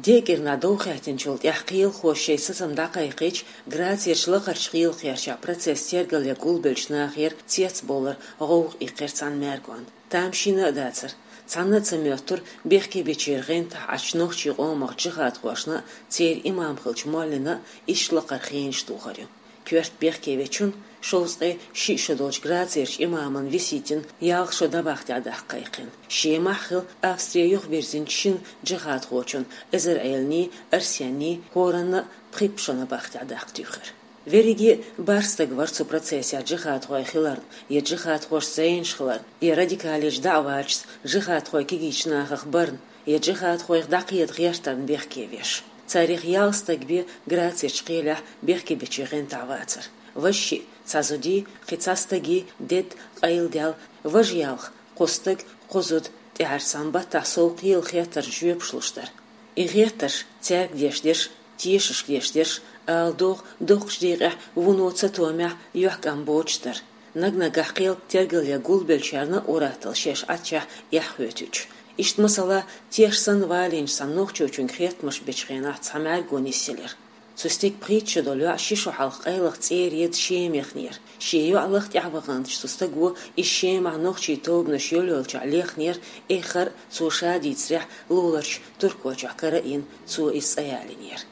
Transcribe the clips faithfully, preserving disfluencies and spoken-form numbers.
ДегӀ кӀирнахь дов хаьттинчул тӀаьхьа кхелахоша шоай сацам дӀакхайкхийча, Грацерчу лакхарчу кхелахерчахь процесс тергалъян гулбеллачу нахера цецбовлар гӀовгӀа иккхира цхьана маьргонна. Тамашийна а дацара. Цхьанна а ца моьттура бехке бечеран гӀентахь Ӏачу нохчийн къомах джихадхошна а, церан имам хиллачу моллина а иштта лакхара хенаш тухар ю. Коьрта бехке вечунна, шовзткъе шиъ шо долчу Грацерчу имамна Виситина ялх шо набахтехь даккха кхайкхина. Шемахь а хилла, Австри юхабирзинчу шина джихадхочунна, Эзар-Ӏеланий, Арсенний, хӀоранна а пхи-пхи шо набахтехь даккха туьйхира. Верриге а бархӀ стаг вара цу процессехь джихадхой хиларна, я джихадхошца зӀенаш хиларна, я радикалех дӀа а ваьлча, джихадхойн кегийчу нахах барна, я джихадхойх дӀакхета гӀертарна бехке веш. Царех ялх стаг бен Грацерчу кхелехь бехке бечеран гӀентахь вацара. Важа шиъ, цхьа зудий, кхин цхьа стагий дедда къайладаьлла, важа ялх, кхо стаг, кхо зуда, тӀаьхьарчу цхьана баттахь сов кхелан хеттаршна жоьпаш луш дара. И гӀертарш цаьрга деш дерш, тешашка деш дерш, ала догӀу, доккхачу декъехь вуно цатоьхнехь, юьхькӀам боцуш дара. Наг-наггахь кхел тергалъян гулбеллачарна а ур-атталла шаьш Ӏаччехь эхь хӀоьттича. Иштта, масала, теш санна валийначу цхьана нохчочуьнга хеттамаш бечу хенахь цхьа маьрго нисъелира. Цу стеган пхийтта шо долу йоӀ ши шо хьалха къайлаха цӀера еда Шема яхнера. Шен йоӀ лаха тӀаьхьа ваханчу цу стаго иза Шемахь нохчийн тобанаш йолйолчохь лехнера, эххар а, цо ша дийцарехь, луларчу Туркойчохь кара а йина, цо иза цӀа ялийнера.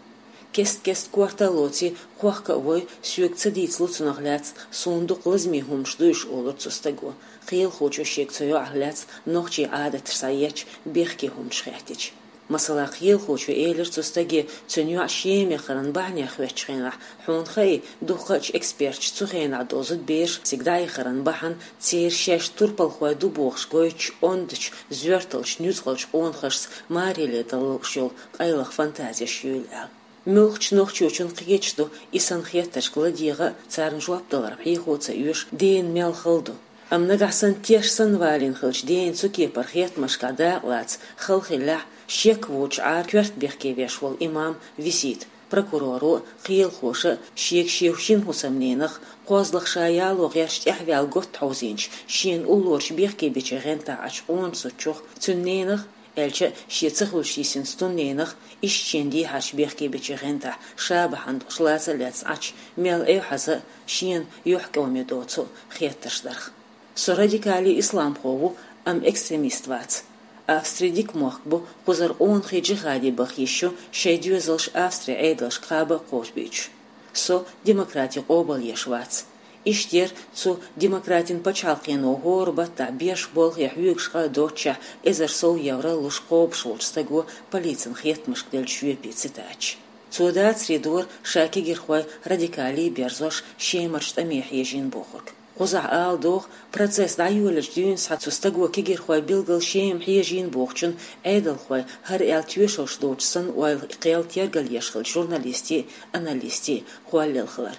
Кест-кеста корта а лоций, кхохка а вой, соьга ца дийцалу цунах лаьцна, суна дукха лазаме хӀуманаш дуй уьш, олура цу стаго. Кхелахочо шега цу йоӀах лаьцна нохчийн Ӏадаташ схьаетташ бехке хӀуманаш хаьттича. Масала, кхелахочо элира цу стаге, цуьнан йоӀ Шема яхаран бахьанех хоьттучу хенахь, хьуна хаий, дуккха а эксперташа цу хенахь долу зудабераш цига дӀаяхаран бахьана церан шаьш турпалхой ду бохуш гойтучу ондачу, зоьрталчу, нуьцкъалчу къонахашца мареле дала лууш йолу къайлаха фантазеш юйла аьлла. Муьлххачу нохчочунна кхеташ ду, и санна хеттаршка ладегӀа а, царна жоп даларна хьехо а ца оьшу, дена мел хала ду. Амма нагахь санна теш санна валийна хилча, дена цу кепара хеттамашкахь дакъалаца хала хиллехь, шек воцуш Ӏара коьрта бехке веш волу имам Висита прокуроро а, кхелахоша а шега шен шина хӀусамненах, кхозлагӀа ша яло гӀерташ тӀаьхьаваьлла готта хьовзийначу, шена уллорачу бехке бечеран гӀентахь Ӏачу къона зудчух, цуьнан ненах, аьлча а, шен ца хуьлуш йисинчу цуьнан ненах, иштта шена дехьарчу бехке бечеран гӀентахь ша бахьана долуш лаца а лаьцна Ӏачу, мел эвхьаза а, шена юьхькӀаме доцу а хеттарш дарх. Со радикале исламхо ву, амма экстремист вац. Австри дика мохк бу, кхузара къонахий джихаде баха йиш ю, шайн доьзалш Австрин Ӏедалшка кхаба а кхочушбуьйцуш. Со демократи къобалъеш вац. Иштта яра цу демократин пачхьалкхено хӀора баттахь беш болхе хьоьгуш къа а доццушехь, эзар сов евро луш кхобуш волчу стаго полицина хеттамашка деллачу жоьпийн цитаташ. Цо дацаре дора ша кегирхой радикале берзош, Шемарчу тӀаме хьежийна бохург. Кхузахь ала догӀу, процесс дӀайолалучу дуьйна цу стаго кегирхой билггал Шема хьежийна бохучун Ӏедалхой, хӀара аьлла тоьшаллаш доцуш санна, ойла кхел тергалъеш хиллачу журналистийн а, аналистийн а кхоллалла хилар.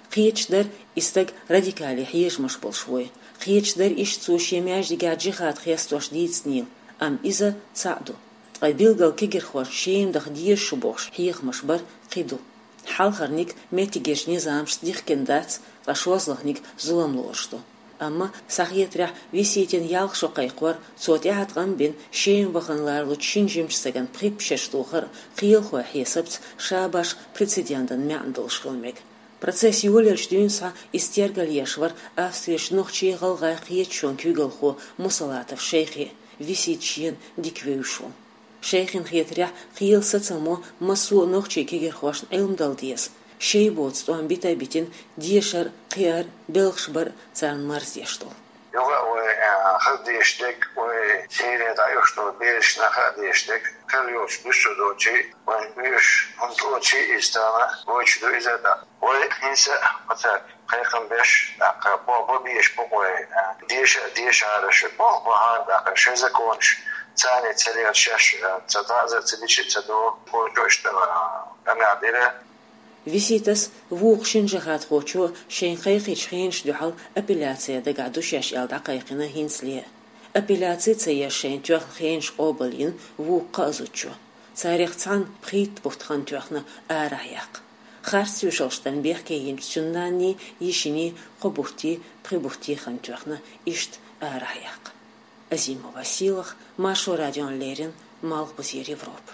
Кхеташ дара, и стаг радикале хьежамаш болуш вуй. Кхеташ дара иштта цо шен маьждигехь джихад хестош дийцинийла, амма иза цхьаъ ду. Ткъа билггал кегирхошна Шема даха дезаш ю бохуш хьехамаш бар кхин ду. Хьалхарниг меттигерчу низамашца дихкина дац, ткъа шозлагӀниг зулам лоруш ду. Амма, сан хетарехь, Виситина ялх шо кхайкхор, цо тӀаьхьа ткъам бина Шема вахана ларалучу шина жимачу стагана пхи-пхи шераш тухар а кхелахойн хьесапца ша башха прецедентан маьӀна долуш хила мега. Процесс йолаелчу дуьйна схьа иза тергалъеш вара Австрерчу нохчийн, гӀалгӀайн кхеташонан куьйгалхо Мусалатов Шайхи, Висита шена дика вевзаш ву. Шайхина хетарехь, кхелан сацамо массо а нохчийн кегирхошна Ӏилма дала деза. Шайн боцу тӀом бита а битина, дешар а, кхиар а, белхаш бар а царна марздеш долу. Юха а вай, а, хаза деш дерг, вай Сири дӀаюьйхуш долу бераш нах а деш дерг, хила йолчу дуьсур долчий, вайн оьшуш хӀунда лоций иза тахана, гойтуш ду иза а тӀаккха. Вай хӀинца а оцаьрга кхайкхам беш, тӀаккха бо-, бо-, безаш бу-кх вай, а, деша а дешахьара шу, бо-, бахьана тӀаккха шайн законаш, царна ца лела шаьш, а, ца дӀа а, ца дича а ца догӀу, кхочуш а, а, къамел дира. Виситас, вукху шина джихадхочо шайна кхайкхийчу хенашна дуьхьал апелляци дагахь ду шаьш аьлла дӀакхайкхина хӀинцале а. Апелляци ца еш шайна тоьхна хенаш къобалйина вукху кхаа зудчо. Царех цхьанна пхийтта бутт хан тоьхна арахь яккха. Харц тоьшаллаш дан бехке йинчу цуьнан нанний, йишиний кхо бутти, пхи бутти хан тоьхна иштта арахь яккха. Азимова Сийлаха, Маршо радиона леррина, Малхбузера Европа.